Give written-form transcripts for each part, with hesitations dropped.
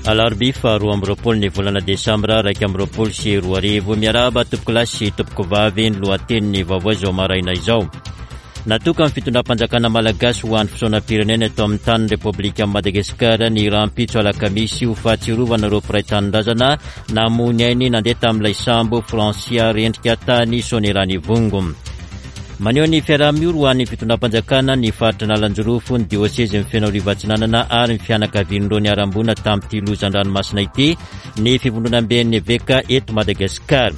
Alarobia faha 22 ny volana desambra 2021. Miarahaba tompokolahy sy tompokovavy ny lohatenin'ny vaovao izao maraina izao. Natokan'ny fitondram-panjakana malagasy ho andro fisaonam-pirenena eto amin'ny tanin'ny Repoblikan'i Madagasikara ny rahampitso alakamisy ho fahatsiarovana ireo mpiray tanindrazana namoy ny ainy nandeha tamin'ilay sambo Francia rendrika tany Soanierana-Ivongo. Maneho ny fiaraha-miory ho an'ny fitondram-panjakana ny faritra Analanjirofo, ny diosezin'i Fenoarivo Atsinanana ary ny fianakavian'ireo niharam-boina tamin'ity loza an-dranomasina ity ny fivondronamben'ny eveka eto Madagasikara.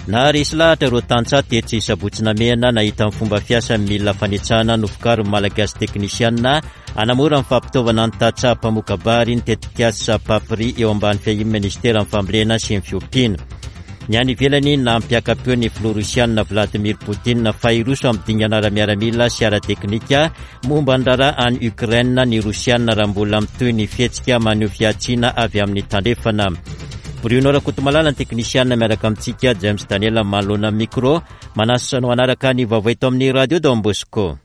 Naharesy lahatra ireo tantsaha tetsy Sabotsy Namehana nahita ny fomba fiasan'ny milina fanetsahana novokarin'ny Malagasy teknisianina hanamora ny fampitaovana ny tantsaha mpamoka-bary ny tetikasa Papri eo ambany fiahian'ny Ministeran'ny Fambolena sy ny Fiompiana. Ny any ivelany, nampiaka-peo ny filoha rosianina Vladimir Poutine fa hiroso amin'ny dingana ara-miaramila sy ara-teknika Momba ny raharaha any Ukraine ny Rosiana raha mbola mitohy ny fihetsika maneho fihantsiana avy amin'ny tandrefana. Bruno Rakotomalala ny teknisiana miaraka amintsika, James Daniel manoloana ny micro. Manasa anao hanaraka ny vaovao eto amin'ny Radio Don Bosco.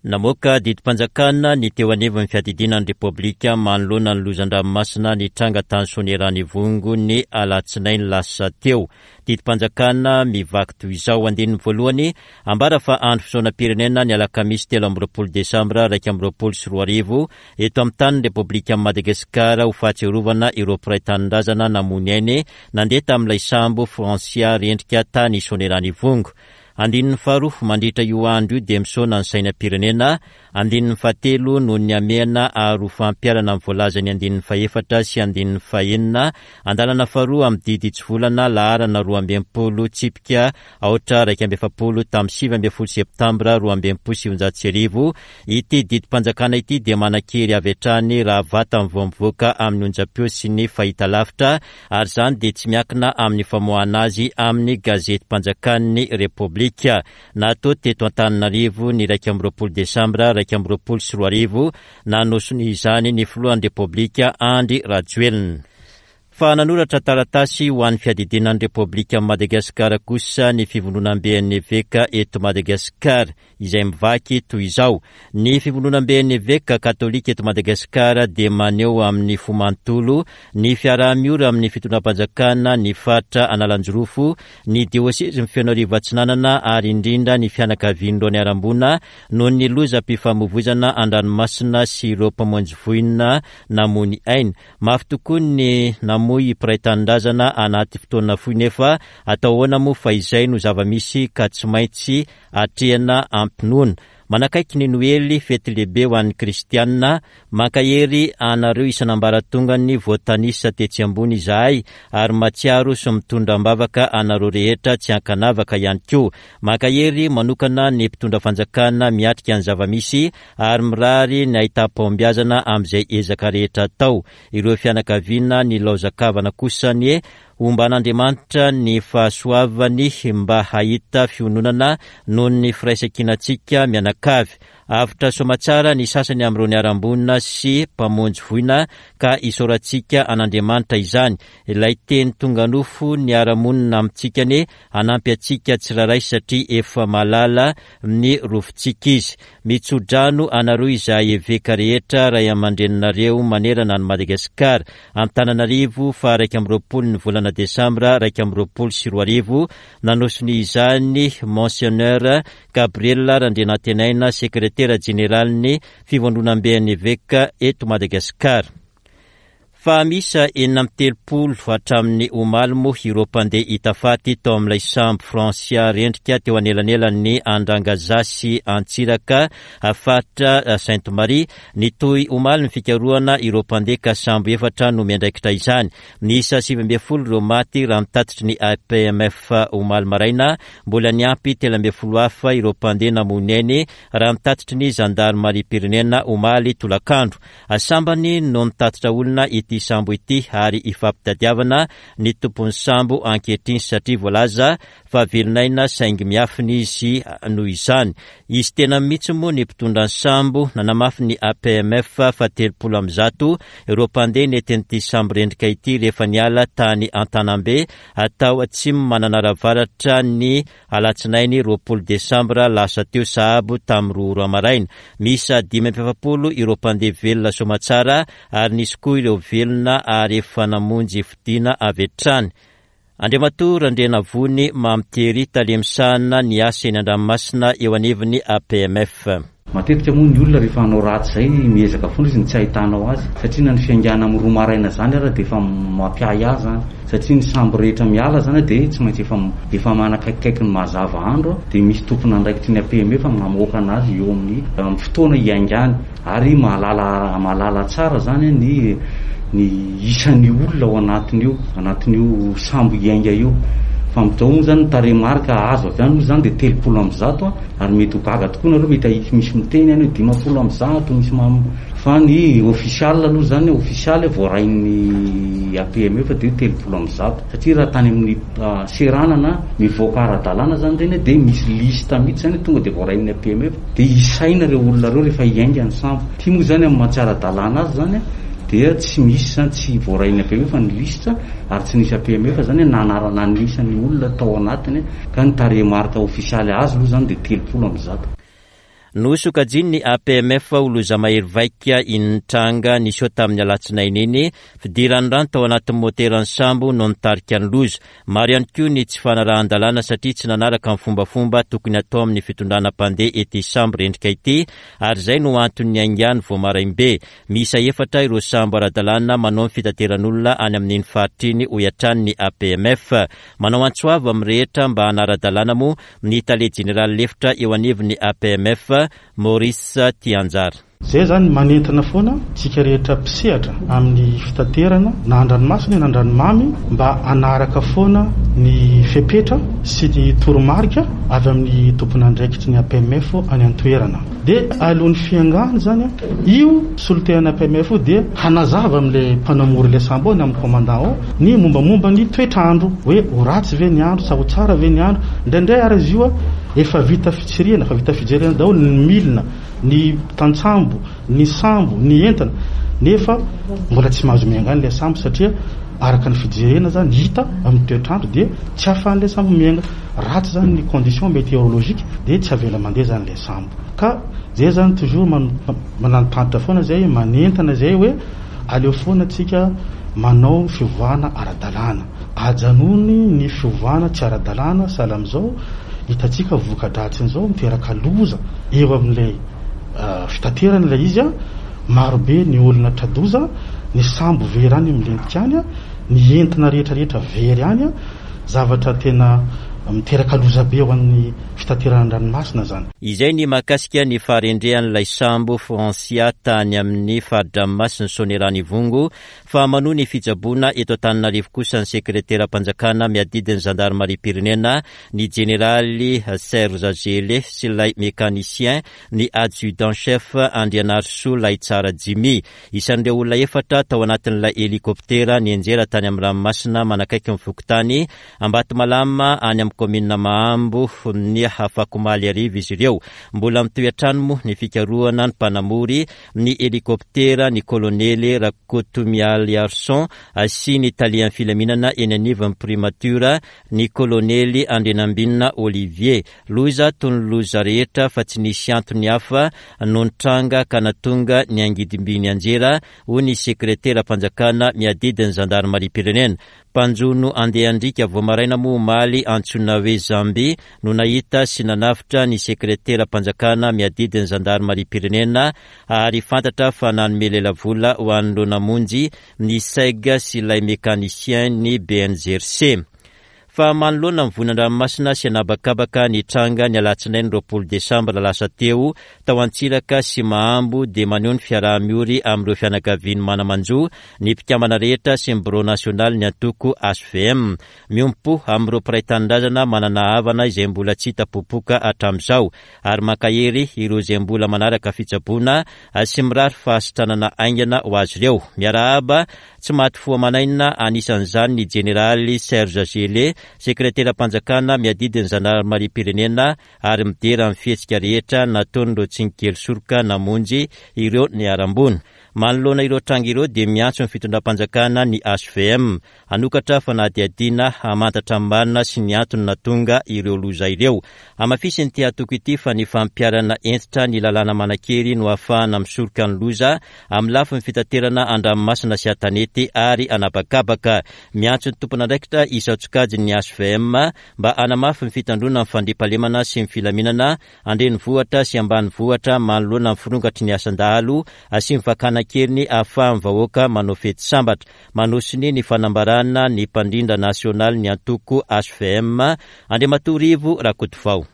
Namoaka didim-panjakana ny teo anivon'ny fiadidiana ny Repoblika manoloana ny loza an-dranomasina nitranga tany Soanierana Ivongo ny alatsinainy lasa teo. Didim-panjakana mivaky toy izao, andininy voalohany, Ambara fa andro fisaonam-pirenena ny alakamisy 23 desambra 2021 eto amin'ny tanin'ny Repoblikan'i Madagasikara ho fahatsiarovana ireo mpiray tanindrazana namoy ny ainy nandeha tamin'ilay sambo Francia rendrika tany Soanierana Ivongo. Andininy faharoa, Mandritra io andro io dia misaona ny sainam-pirenena. Andininy fahatelo, Noho ny hamehana ary ho fampiharana ny voalazan'ny andininy fahefatra sy andininy fahenina, andalana faharoa amin'ny didy hitsivolana laharana 62 tsipika aotra 41 tamin'ny 19 septambra 1962, ity didim-panjakana ity dia manan-kery avy hatrany raha vatany vao mivoaka amin'ny onjam-peo sy ny fahitalavitra ary izany dia tsy miankina amin'ny famoahana azy amin'ny gazetim-panjakan'ny Repoblika. Natao teto Antananarivo ny 21 desambra 2021, nanao sonia izany ny filohan'ny Repoblika Andry Rajoelina. Fa nanoratra taratasy ho an'ny fiadidiana ny Repoblikan'i Madagasikara kosa ny Fivondronamben'ny Eveka eto Madagasikara. izay mivaky toy izao, Ny Fivondronamben'ny Eveka Katolika eto Madagasikara dia maneho amin'ny fo manontolo ny fiaraha-miory amin'ny fitondram-panjakana ny faritra Analanjirofo, ny diosezin'i Fenoarivo Atsinanana ary indrindra ny fianakavian'ireo niharam-boina noho ny lozam-pifamoivoizana an-dranomasina sy ireo mpamonjy voina namoy ny ainy. Mafy tokoa ny namoy mpiray tanindrazana anaty fotoana fohy nefa atao ahoana moa fa izay no zava-misy ka tsy maintsy atrehina am-pinoana. Manakaiky ny Noely, fety lehibe ho an'ny Kristianina, mankahery anareo isan'ambaratongany voatanisa tetsy ambony izahay ary mahatsiaro sy mitondra am-bavaka anareo rehetra tsy ankanavaka ihany koa. Mankahery manokana ny mpitondra fanjakana miatrika ny zava-misy ary mirary ny ahitam-pahombiazana amin'izay ezaka rehetra atao. Ireo fianakaviana nilaozan-kavana kosa anie Homban'Andriamanitra ny fahasoavany mba hahita fiononana noho ny firaisankinantsika mianakavy. Avotra soamatsara ny sasany amin'ireo niharam-boina sy mpamonjy voina ka isaorantsika an'Andriamanitra izany. Ilay Teny tonga nofo niara-monina amintsika anie hanampy antsika tsirairay satria efa mahalala ny rofintsika Izy. Mitso-drano anareo izahay eveka rehetra ray aman-dreninareo manerana an'i Madagasikara. Antananarivo, faha 21 ny volana desambra 2021, nanao sonia izany Monseigneur Gabriel Randrianantenaina, sekretera jeneralin'ny Fivondronamben'ny Eveka eto Madagasikara. Fa miisa 36 hatramin'ny omaly moa ireo mpandeha hita faty tao amin'ilay sambo Francia rendrika teo anelanelan'ny Andrangaza sy Antsiraka, faritra Sainte Marie. Nitohy omaly ny fikarohana ireo mpandeha ka sambo efatra no miandraikitra izany. Miisa 19 ireo maty raha ny tatitry ny APMF omaly maraina. Mbola niampy 13 hafa ireo mpandeha namoy ny ainy raha ny tatitry ny zandarimariam-pirenena omaly tolakandro. Sambany no nitatitra olona hita. ity sambo ity ary ifampitadiavana ny tompon'ny sambo ankehitriny satria voalaza fa velon'aina saingy miafina izy noho izany. Izy tena mihitsy moa ny mpitondra ny sambo, nanamafy ny APMF fa 130 ireo mpandeha nentin'ity sambo rendrika ity rehefa niala tany Antanambe tao Atsimo Mananara-Avaratra ny alatsinainy 20 desambra lasa teo sahabo tamin'ny 2 ora maraina. Miisa 45 ireo mpandeha velona soamatsara ary nisy koa ireo velona ary efa namonjy fodiana avy hatrany. Andriamatoa Randrianavony Mamy Thierry, tale misahana ny asa eny an-dranomasina eo anivon'ny APMF. Matetika moa ny olona rehefa hanao ratsy izay miezaka foana izy ny tsy ahitanao azy satria na ny fiaingàna amin'ny roa maraina izany ara dia efa mampiahiahy izany satria ny sambo rehetra miala izany dia tsy maintsy efa efa manakaikikaiky ny mazava andro dia misy tompon'andraikitry ny APMF mamoaka anazy eo amin'ny amin'ny fotoana hiaingàny. Ary mahalala mahalala tsara zany ny ny isan'ny olona ao anatin'io anatin'io sambo hiainga io. Fa amin'izao moa zany ny tarehimarika azo avy any moa zany dia 130 ary mety ho gaga tokoa nareo mety hahita misy miteny any hoe 150 misy mam fa ny ofisialy aloha zany ofisialy voarain'ny APME fa dia 130 satria raha tany amin'ny seranana mivoaka ara-dalàna zany ireny dia misy liste mihitsy zany tonga dia voarain'ny APME. Dia isaina ireo olona ireo rehefa hiainga ny sambo. Ity moa izany amin'ny maha tsy ara-dalàna azy izany dia tsy misy izany, tsy voarain'ny APMF ny lisitra ary tsy nisy APMF izany nanarana ny isan'ny olona tao anatiny ka ny tarehimarika ofisialy azo aloha izany dia 130. Nosokajian'ny APMF ho loza mahery vaika iny nitranga niseho tamin'ny alatsinainy iny, fidiran'ny rano tao anatin'ny moteran'ny sambo no nitarika ny loza. Maro ihany koa ny tsy fanarahan-dalàna satria tsy nanaraka ny fombafomba tokony hatao amin'ny fitondrana mpandeha ety sambo rendrika ity ary izay no antony niaingàny vao maraim-be. Miisa efatra ireo sambo ara-dalàna manao ny fitateran'olona any amin'iny faritra iny hoy hatrany ny APMF. Manao antso avo amin'ny rehetra mba hanara-dalàna moa ny tale jeneraly lefitra eo anivon'ny APMF, Maurice Tianjara. Zay zany manentana foana tsika rehetra mpisehatra amin'ny fitaterana na andranomasina na andranomamy mba hanaraka foana ny fepetra sy ny toromarika avy amin'ny tompon'andraikitry ny APMF any an-toerana. Dia alohan'ny fiangany zany io solontenan'ny APMF io dia hanazava amin'ilay mpanamory ilay sambo ao na amin'ny commandant ao ny mombamomba ny toetr'andro hoe ho ratsy ve ny andro sa ho tsara ve ny andro. Indraindray ary izy io efa vita fitsirihana, efa vita fijerena daholo ny milina. ny tantsambo, ny sambo, ny entana nefa mbola tsy mahazo miainga any ilay sambo satria araka ny fijerena zany hita amin'ny toetr'andro dia tsy ahafahan'ilay sambo miainga, ratsy zany ny condition météorologique dia tsy avela mandeha zany ilay sambo ka zay zany toujours manantitrantitra foana zay manentana zay hoe aleo foana tsika manao fiovana ara-dalàna. Ajanony ny fiovana tsy ara-dalàna sahala amin'izao hitantsika voka-dratsin'izao miteraka loza eo amin'ilay fitaterana ilay izy, maro be ny olona tra-doza, ny sambo very any milentika any, ny entana rehetra rehetra very any, zavatra tena miteraka loza be ho an'ny fitaterana an-dranomasina izany. Izay ny mahakasika ny faharendrehan'ilay sambo Francia tany amin'ny fari-dranomasin'i Soanierana Ivongo Fa manohy ny fitsaboana eto Antananarivo kosa ny sekreteram-panjakana miadidy ny zandarimariam-pirenena, ny jeneraly Serge Gellé sy ilay mécanicien, ny adjudant chef Andrianarisoa Lahitsara Jimmy. Isan'ireo olona efatra tao anatin'ilay helikoptera nianjera tany amin'ny ranomasina manakaiky ny fokontany Ambatomalama any amin'ny kaominina Mahambo ny afakomaly hariva izy ireo. Mbola mitohy hatrany moa ny fikarohana ny mpanamory ny helikoptera ny kolonely Rakotomialiarison sy ny talehan'ny filaminana eny anivon'ny Primature ny kolonely Andrianambinina Olivier. Loza toy ny loza rehetra fa tsy nisy antony hafa no nitranga ka nahatonga ny angidim-by nianjera, hoy ny sekreteram-panjakana miadidy ny zandarimariam-pirenena. Mpanjono andeha andriaka vao maraina moa omaly antsoina hoe Zambi no nahita sy nanavotra ny sekreteram-panjakana miadidy ny zandarimariam-pirenena ary fantatra fa nanome lelavola ho an'ireo namonjy ny Seg sy ilay mécanicien ny BNGRC. Fa manoloana ny vonan-dranomasina sy an'habakabaka nitranga ny alatsinainy 20 desambra lasa teo tao Antsiraka sy Mahambo dia maneho ny fiaraha-miory amin'ireo fianakavian'ny mana-manjo ny mpikambana rehetra sy ny birao nasionalin'ny antoko hvm. Miombom-po amin'ireo mpiray tanindrazana manana havana izay mbola tsy hita popoka hatramin'izao ary mankahery ireo izay mbola manaraka fitsaboana sy mirary fahasitranana haingana ho azy ireo. Miarahaba Tsy maty fo aman'aina, anisan'izany ny Jeneraly Serge Gellé, Sekreteram-panjakana miadidy ny Zandarimariam-pirenena ary midera ny fihetsika rehetra nataon'ireo tsinkely soroka namonjy ireo niharam-boina. Manoloana ireo tranga ireo dia miantso ny fitondram-panjakana ny hvm hanokatra fanadihadiana hamantatra ny marina sy ny antony nahatonga ireo loza ireo. Hamafisin'ity antoko ity fa ny fampiharana hentitra ny lalàna manan-kery no ahafahana misoroka ny loza amin'ny lafiny fitaterana an-dranomasina sy an-tanety ary an'habakabaka. Miantso ny tompon'andraikitra isan-tsokajiny ny hvm mba hanamafy ny fitandroana ny fandriampahalemana sy ny filaminana an-drenivohitra sy ambanivohitra manoloana ny firongatry ny asan-dahalo sy ny fakana an-keriny ahafahan'ny vahoaka manao fety sambatra. Manao sonia ny fanambarana ny mpandrindra nasionalin'ny antoko hvm, Andriamatoa Rivo Rakotovao.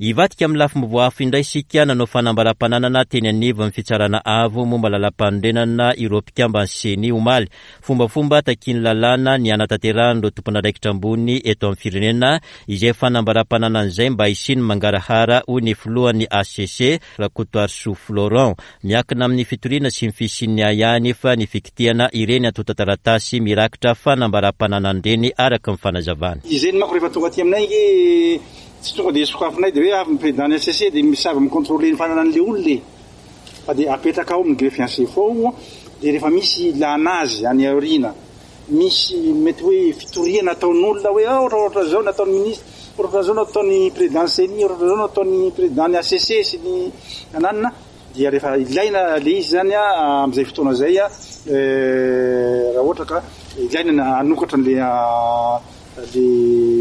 Hivadika amin'ny lafim-baovao hafa indray isika, nanao fanambaram-pananana teny anivon'ny Fitsarana Avo momba lalàmpanorenana ireo mpikamban'ny Ceni omaly. Fombafomba takian'ny lalàna ny hanatanterahan'ireo tompon'andraikitra ambony eto amin'ny firenena izay fanambaram-pananana izay mba hisian'ny mangarahara, hoy ny filohan'ny hcc, Rakotoarisoa Florent. Miankina amin'ny fitoriana sy ny fisian'ny ahiahy anefa ny fikitihana ireny antontan-taratasy mirakitra fanambaram-pananana ireny, araka ny fanazavany. Izay ny manko rehefa tonga aty aminay ange tsy tonga dia sokafinay dia hoe avy ny président ny HCC dia misava mi-controler ny fananan'ilay olona e! Fa dia apetraka ao amin'ny greffe en chef ao dia rehefa misy ilana azy any aoriana misy mety hoe fitoriana ataon'olona hoe ah ohatrohatran'izao izao nataon'ny ministre, ohatrohatran'izao nataon'ny président ny ceni, ohatrohatran'izao nataon'ny président ny HCC sy ny ananona dia rehefa ilaina le izy zany amin'izay fotoana izay raha ohatra ka ilaina ny hanokatra an'le le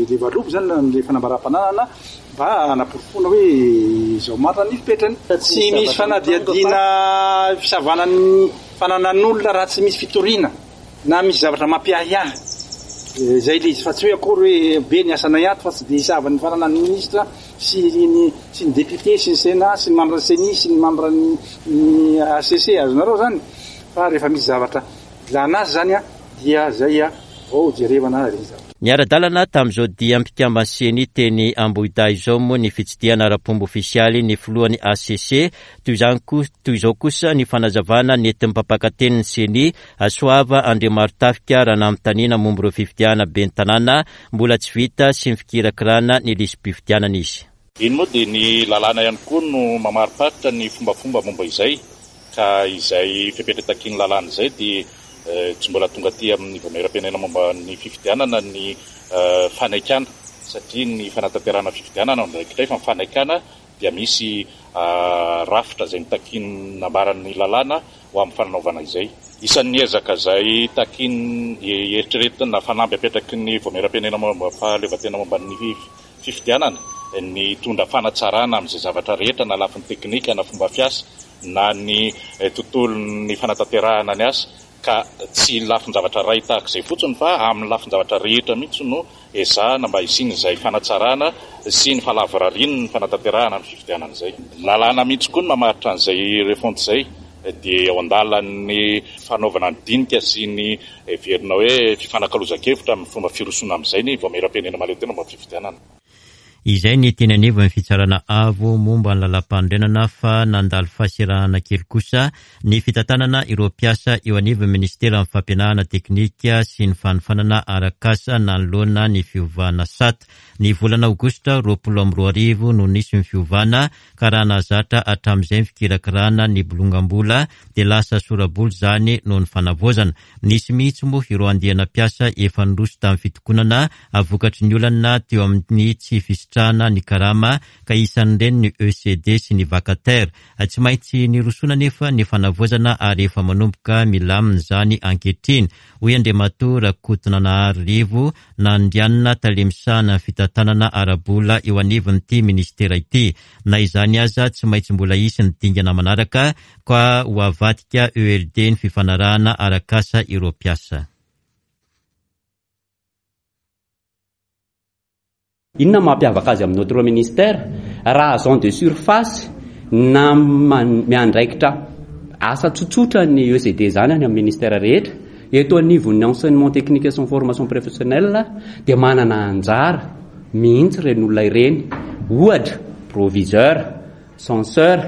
le valopy zany le fanambaram-pananana mba hanaporofoana hoe izao marina ny fipetrany. Tsy misy fanadihadiana fisavana ny fananan'olona raha tsy misy fitoriana. Na misy zavatra mampiahiahy izay ilay izy fa tsy hoe akory hoe be ny asanay ato fa tsy dia hisava ny fananan'ny ministra sy ny sy ny député sy ny sénat sy ny membre ny ceni sy ny membre ny HCC azonareo zany fa rehefa misy zavatra ilana azy zany dia zay vao jerevana ilay zavatra. Niara-dalana tamin'izao dia mpikamban'ny Ceni teny Ambohidahy izao moa ny fitsidihana ara-pomba ofisialy ny filohan'ny HCC Toy izany koa, toy izao kosa ny fanazavana nentin'ny mpampakatenin'ny Ceni, Soava Andriamarotafika raha nanontaniana momba ireo fifidianana ben'ny tanàna mbola tsy vita sy ny fikirakirana ny lisi-pifidianana izy. Iny moa dia ny lalàna ihany koa no mamariparitra ny fombafomba momba izay ka izay fepetra takian'ny lalàna izay dia tsy mbola tonga aty amin'ny Vaomieram-pirenena momba ny fifidianana ny fanaikana satria ny fanatanterahana fifidianana no andraikitray fa ny fanaikana dia misy rafitra izay notakian'ny nambaran'ny lalàna ho amin'ny fanaovana izay. Isan'ny ezaka izay takian'ny eritreretina fanamby apetraky ny Vaomieram-pirenena momba fahaleovantena momba ny fifidianana ny hitondra fanatsarana amin'izay zavatra rehetra na lafiny teknika na fomba fiasa na ny tontolon'ny fanatanterahana ny asa ka tsy lafin-javatra iray tahaka izay fotsiny fa amin'ny lafin-javatra rehetra mihitsy no ezahana mba hisian'izay fanatsarana sy ny fahalavorarian'ny fanatanterahana ny fifidianana izay. Lalàna mihitsy koa no mamaritra an'izay refonte izay dia eo an-dalan'ny fanaovana ny dinika sy ny heverina hoe fifanakalozan-kevitra amin'ny fomba firosoana amin'izay ny Vaomieram-pirenena mahaleo tena momba ny fifidianana. Izay ny teny anivon'ny Fitsarana Avo momba ny Lalàmpanorenana fa nandalo fahaserahana kely kosa ny fitantanana ireo mpiasa eo anivon'ny Minisiteran'ny Fampianarana Teknika sy ny Fanofanana Arak'asa nanoloana ny fiovana sata. Ny volana aogositra 2020 no nisy ny fiovana ka raha nahazatra hatramin'izay ny fikirakirana ny bolongam-bola dia lasa sora-bola izany noho ny fanavaozana. Nisy mihitsy moa ireo andiana mpiasa efa niroso tamin'ny fitokonana vokatry ny olana teo amin'ny tsy fisitrahana ny karama ka isan'ireny ny ECD sy ny vacataire. Tsy maintsy nirosoana anefa ny fanavaozana ary efa manomboka milamina izany ankehitriny, hoy Andriamatoa Rakotonanahary Rivo Nandrianina, tale misahana ny fitantanana ara-bola eo anivon'ity minisitera ity. Na izany aza, tsy maintsy mbola hisy ny dingana manaraka ka ho avadika ELD ny fifanarahana arak'asa ireo mpiasa. Inona no mampiavaka azy amin'ny autre ministère? Raha agent de surface na miandraikitra asa tsotsotra ny ECD izany any amin'ny ministère rehetra, eto anivon'ny enseignement technique sy ny formation professionnelle dia manana anjara mihitsy ireny olona ireny, ohatra proviseur, censeur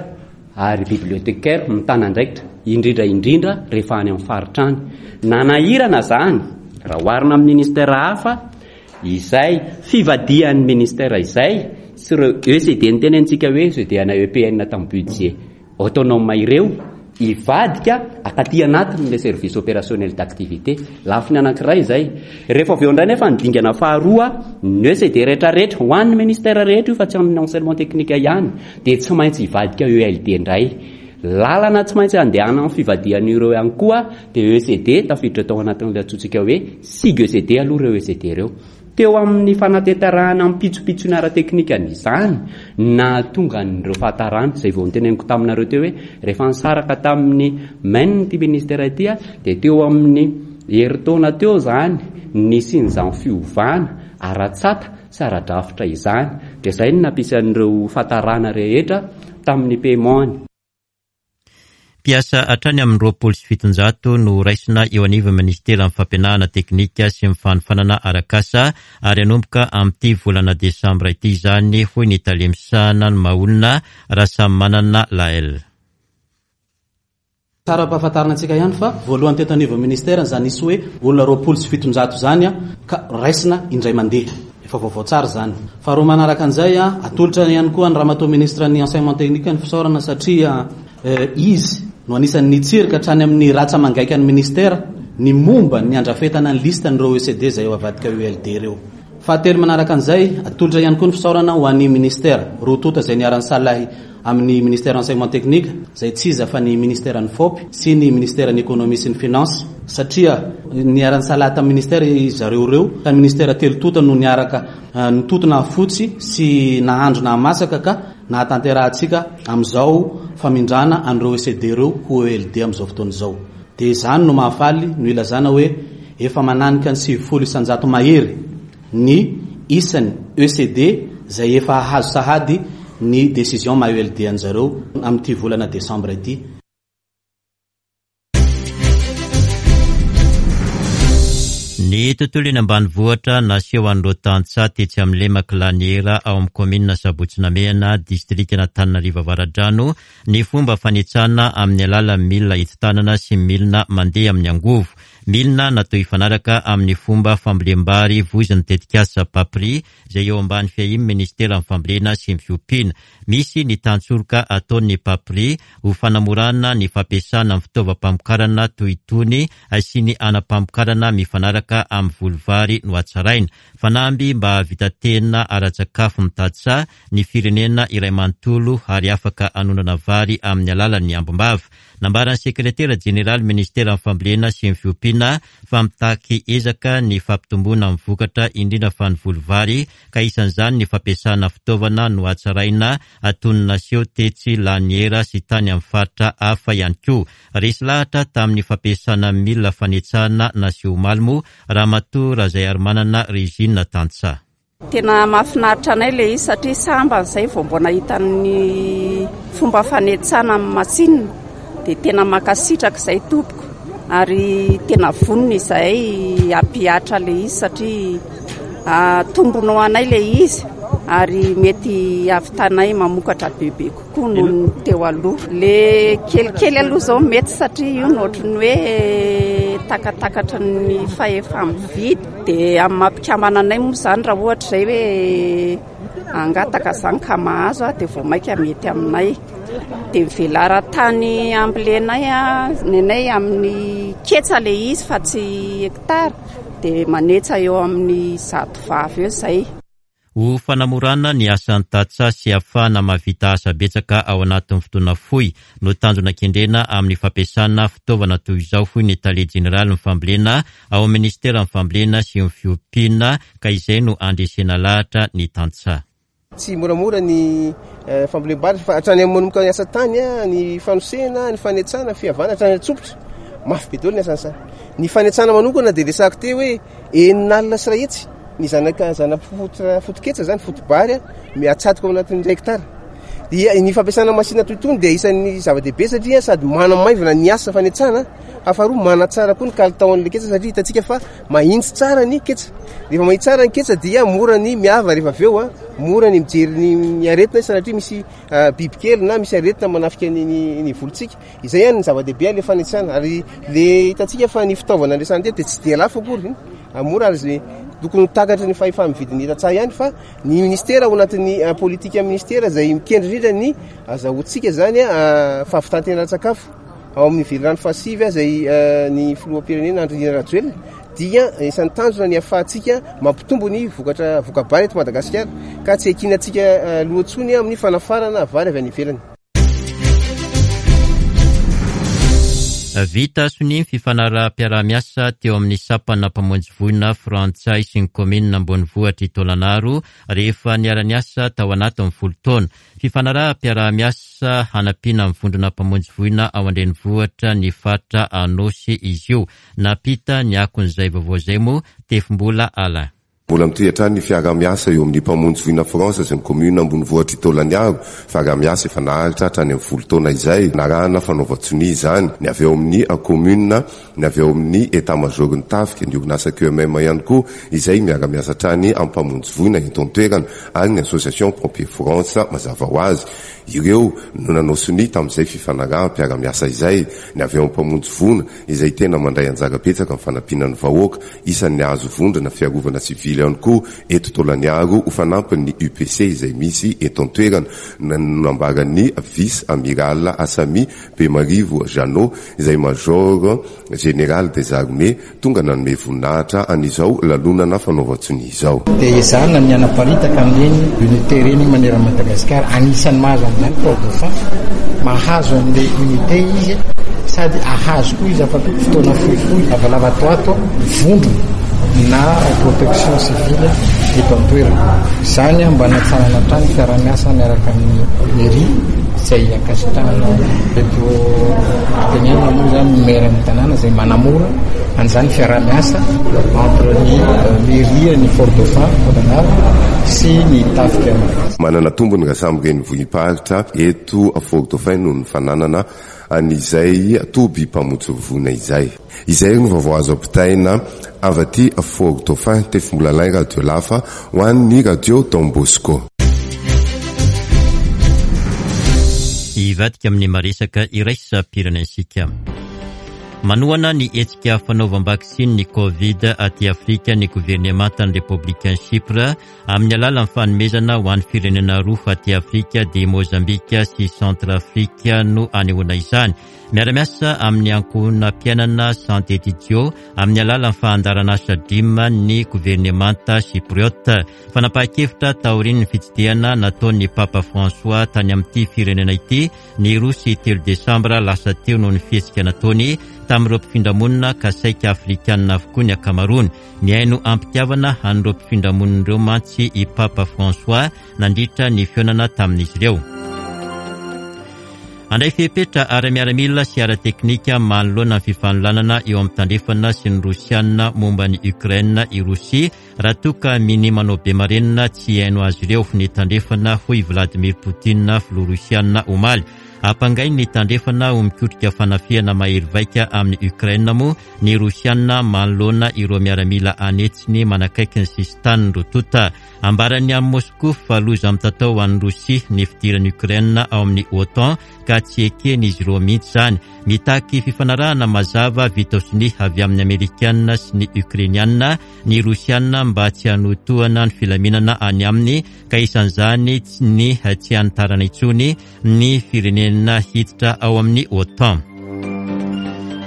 ary bibliothécaire mitana andraikitra, indrindra indrindra rehefa any amin'ny faritra any. Nanahirana izany raha oharina amin'ny ministère hafa Izay fivadihan'ny ministère izay sy ireo ECD nitenenintsika hoe ECD ana EPN tamin'ny budget autonome ireo hivadika akaty anatin'ilay service opérationnel d'activité. Lafiny anankiray izay. Rehefa avy eo indray nefa ny dingana faharoa, ny ECD rehetrarehetra, ho an'ny ministère rehetra io fa tsy amin'ny enseignement technique ihany, dia tsy maintsy hivadika ELD indray. Lalana tsy maintsy andehanan'ny fivadihan'ireo ihany koa dia ECD tafiditra tao anatin'ilay antsointsika hoe SIG ECD aloha ireo ECD ireo. Teo amin'ny fanatanterahana ny pitsopitsony ara-teknikany izany nahatonga an'ireo fahatarana izay vao noteneniko taminareo teo hoe rehefa nisaraka tamin'ny men ity ministera ity dia teo amin'ny herintaona teo izany nisian'izany fiovana ara-tsata sy ara-drafitra izany. Dia izay no nampisy an'ireo fahatarana rehetra tamin'ny paiement-ny. Mpiasa hatrany amin'ny 720 no horaisina eo anivon'ny Minisiteran'ny Fampianarana Teknika sy ny Fanofanana Arak'asa ary hanomboka amin'ity volana desambra ity izany, hoy ny tale misahana ny maha-olona, Rasamimanana Laël. Tsara ampahafantarina antsika ihany fa voalohany teto anivon'ny ministera izany nisy hoe olona 720 izany ka raisina indray mandeha. Efa vaovao tsara izany. Faharoa manaraka an'izay, atolotra ihany koa an'i Ramatoa Ministra ny Enseignement Technique ny fisaorana satria izy no anisan'ny nitsirika hatrany amin'ny ratsa-mangaikan'ny ministera ny momba ny handrafetana ny liste an'ireo ECD izay ho avadika ULD ireo. Fahatelo manaraka an'izay, atolotra ihany koa ny fisaorana ho an'ny ministera roa tonta izay niara-nisalahy amin'ny Ministère Enseignement Technique, izay tsy iza fa ny Ministeran'ny Fop sy ny Ministeran'ny Economie sy ny Finance, satria niara-nisalahy tamin'ny Ministère izy zareo ireo, ka ny Ministère telo tonta no niaraka nitoto nahafotsy sy nahandro nahamasaka ka nahatanterahantsika amin'izao famindrana an'ireo ECD ireo ho ELD amin'izao fotoana izao. Dia izany no mahafaly no ilazana hoe efa mananika ny 90% mahery ny isan'ny ECD izay efa hahazo sahady ny décision maha ELD an-jareo amin'ity volana desambra ity. Ny tontolo eny ambanivohitra naseho an'ireo tantsaha tetsy amin'ny lemak'i Laniera ao amin'ny kaominina Sabotsy Namehana, distrikan'Antananarivo Avaradrano, ny fomba fanetsana amin'ny alalan'ny milina entin-tanana sy milina mandeha amin'ny angovo. Milina natao hifanaraka amin'ny fomba fambolem-bary voizin'ny tetikasa Papri izay eo ambany fiahian'ny Minisiteran'ny Fambolena sy ny Fiompiana. Misy ny tantsoroka ataon'ny Papri ho fanamorana ny fampiasana ny fitaovam-pamokarana toy itony sy ny anam-pamokarana mifanaraka amin'ny voly vary nohatsaraina. Fanamby mba hahavita tena ara-tsakafo mitady saha ny firenena iray manontolo ary afaka hanondrana vary amin'ny alalan'ny ambim-bava. Nambaran'ny sekretera jeneraly ministeran'ny fambolena sy ny fiompiana fa mitaky ezaka ny fampitomboana ny vokatra indrindra fa ny voly vary ka isan'izany ny fampiasana fitaovana nohatsaraina toy ny naseho tetsy Laniera sy tany amin'ny faritra hafa ihany koa. Resy lahatra tamin'ny fampiasana milina fanetsahana naseho omaly moa Ramatoa Razaiarimanana Regine tantsaha. Tena mahafinaritra anay ilay izy satria sambany izay vao mbo nahita ny fomba fanetsana amin'ny masinina dia tena mankasitraka izay tompoko ary tena vonona izahay hampihatra ilay izy satria tombony ho anay ilay izy ary mety hahavitanay mamokatra bebe kokoa. koa noho ny teo aloha. Le kelikely aloha izao mety satria io no ohatran'ny hoe takatakatry ny fahefa-mividy. Dia amin'ny maha mpikambana anay moa izany raha ohatra izay hoe hangataka izany ka mahazo dia vao mainka mety aminay. Dia ny velaran-tany ambolenay, ny anay amin'ny ketsa ilay izy fa tsy hectare, dia manetsa eo amin'ny zato vavy eo izay. Ho fanamorana ny asan'ny tantsaha sy hahafahana mahavita asa betsaka ao anatin'ny fotoana fohy no tanjona kendrena amin'ny fampiasana fitaovana toy izao, hoy ny tale jeneralin'ny fambolena ao amin'ny minisiteran'ny fambolena sy ny fiompiana, ka izay no handresena lahatra ny tantsaha. Tsy moramora ny fambolem-bary fa hatrany amin'ny manomboka ny asa tany, ny fanosehana, ny fanetsana, ny fihavana hatrany an-tsompitra. Mafy be daholo ny asan'ny saha. Ny fanetsana manokana dia resahako teo hoe 1500. ny zanaka zana-fototra foto-ketsa izany, foto-bary atsatoka ao anatin'ny iray hectare. Dia ny fampiasana machine toy itony dia isan'ny zava-dehibe satria sady manamaivana ny asa fanetsana, faharoa manatsara koa ny kalitaon'ilay ketsa satria hitantsika fa mahitsy tsara ny ketsa. Rehefa mahitsy tsara ny ketsa dia mora ny miava rehefa avy eo, mora ny mijery ny aretina satria misy bibikely na misy aretina manafika ny volontsika. Izay ihany ny zava-dehibe ilay fanetsana ary le hitantsika fa ny fitaovana andresana teto dia tsy dia lafo akory, mora ary izay tokony ho takatry ny fahefa-mividin'ny tantsaha ihany fa Ny ministera ao anatin'ny politika ministera izay mikendry indrindra ny azahoantsika izany fahavitan-tena ara-tsakafo ao amin'ny velirano fahasivy izay ny filoham-pirenena Andry Nirina Rajoelina dia isan'ny tanjona ny ahafahantsika mampitombo ny vokatra voka-bary eto Madagasikara ka tsy ekinantsika loha intsony amin'ny fanafarana vary avy any ivelany. Vita sonia ny fifanaraham-piaraha-miasa teo amin'ny sampana mpamonjy voina frantsay sy ny kaominina ambonivohitr'i Taolagnaro rehefa niara-niasa tao anatin'ny folo taona. Fifanaraham-piaraha-miasa hanampiana ny vondrona mpamonjy voina ao an-drenivohitra ny faritra Anôsy izy io. Nampita ny akon'izay vaovao izay moa Tefimbola Alain. Mbola mitohy hatrany ny fiaraha-miasa eo amin'ny mpamonjy voina France sy ny kaominina ambonivohitr'i Taolagnaro, fiaraha-miasa efa naharitra hatrany amin'ny folo taona izay, narahana fanaovan-tsonia izany, ny avy ao amin'ny kaominina, ny avy ao amin'ny Etat Major-n'ny tafika, ny orinasa QMM ihany koa izay miara-miasa hatrany amin'ny mpamonjy voina eto an-toerana ary ny Association Pompiers France mazava ho azy. Ireo no nanao sonia tamin'izay fifanaraham-piarahamiasa izay, ny avy ao amin'ny mpamonjy voina izay tena mandray anjara betsaka amin'ny fanampiana ny vahoaka. Isan'ny hahazo vondrona fiarovana sivily ihany koa eto Taolagnaro ho fanampin'ny UPC izay misy eto an-toerana, no nambaran'ny Vice Amiral Asami Bemarivo Jeannot izay Major Général des Armées tonga nanome voninahitra an'izao lanonana fanaovan-tsonia izao. Dia ezahana ny hanaparitaka an'ireny unité ireny manerana an'i Madagasikara. Anisan'ny mahazo an'izany Port Dauphin, mahazo an'ilay unité izy sady ahazo koa izy afaka fotoana fohifohy lavalava ato ato vondrona na protection civile eto an-toerana. Izany mba hanatsarana hatrany fiaraha-miasa miaraka amin'ny mairie izay ankasitrahana eto Antegnana moa izany ny maire ny tanàna izay manamora an'izany fiaraha-miasa entre ny mairie ny Fort Dauphin Taolagnaro sy ny tafika. Manana tombony raha samy renivohi-paritra eto Fort Dauphin noho ny fananana an'izay toby mpamotsy voina izay. Izay no vaovao azo ampitaina avy aty Fort Dauphin, Tefimbolalain Radio Lafa ho an'ny Radio Don Bosco. Hivadika amin'ny maresaka iraisam-pirenena isika. Manohana ny hetsika fanaovam-baksiny ny Covid aty Afrika ny governemantan'ny Repoblikan'i Chypre amin'ny alalan'ny fanomezana ho an'ny firenena roa aty Afrika dia Mozambika sy Centrafrique no anehoana izany. Miara-miasa amin'ny ankohonam-piainana Santé Didio amin'ny alalan'ny fahandaran'asa DREAM ny governemanta Chypriote. Fanapahan-kevitra taorian'ny fitsidihana nataon'ny Papa François tany amin'ity firenena ity ny roa sy telo desambra lasa teo noho ny fihetsika nataony tamin'ireo mpifindramonina ka saika afrikanina avokoa ny ankamaroany. Nihaino am-pitiavana an'ireo mpifindramonina ireo mantsy i Papa François nandritra ny fihaonana tamin'izy ireo. Handray fepetra ara-miaramila sy ara-teknika manoloana ny fifanolanana eo amin'ny Tandrefana sy ny Rosiana momba an'i Ukraine i Rosia raha toa ka minia manao be marenina tsy hihaino azy ireo ny Tandrefana, hoy i Vladimir Putin, filoha Rosiana, omaly. Ampangain'ny Tandrefana ho mikotrika fanafihana mahery vaika amin'i Ukraine moa ny Rosiana manoloana ireo miaramila an'hetsiny manakaiky ny sisintanin'ny roa tonta. Ambaran'ny any Moskoa fa loza mitatao ho an'i Rosia ny fidiran'i Ukraine ao amin'ny OTAN ka tsy eken'izy ireo mihitsy izany. Mitaky fifanarahana mazava vita sonia avy amin'ny Amerikana sy ny Ukrainiana ny Rosiana mba tsy hanohitohana ny filaminana any aminy ka isan'izany ny tsy hanitarana intsony ny firenena hiditra ao amin'ny OTAN.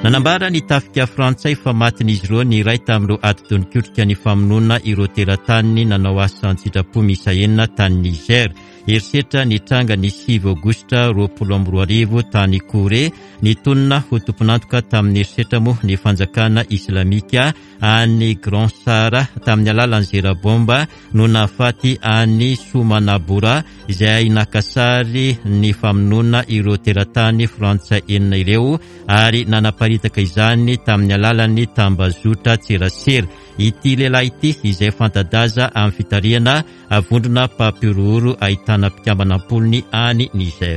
Nanambara ny tafika frantsay fa matin'izy ireo ny iray tamin'ireo atidoha nikotrika ny famonoana ireo teratany nanao asa an-tsitrapo miisa enina tany Niger. Herisetra nitranga ny 9 aogositra 2020 tany Kouré. Nitonona ho tompon'antoka tamin'ny herisetra moa ny fanjakana islamika. Any Grand Sahara tamin'ny alalan'ny zera baomba no nahafaty an'i Soumana Boura izay naka sary ny famonoana ireo teratany frantsay enina ireo ary nanaparitaka izany tamin'ny alalan'ny tambazotra tserasera. Ity lehilahy ity izay fanta-daza amin'ny fitarihana vondrona mpampihorohoro ahitana mpikambana am-polony any Niger.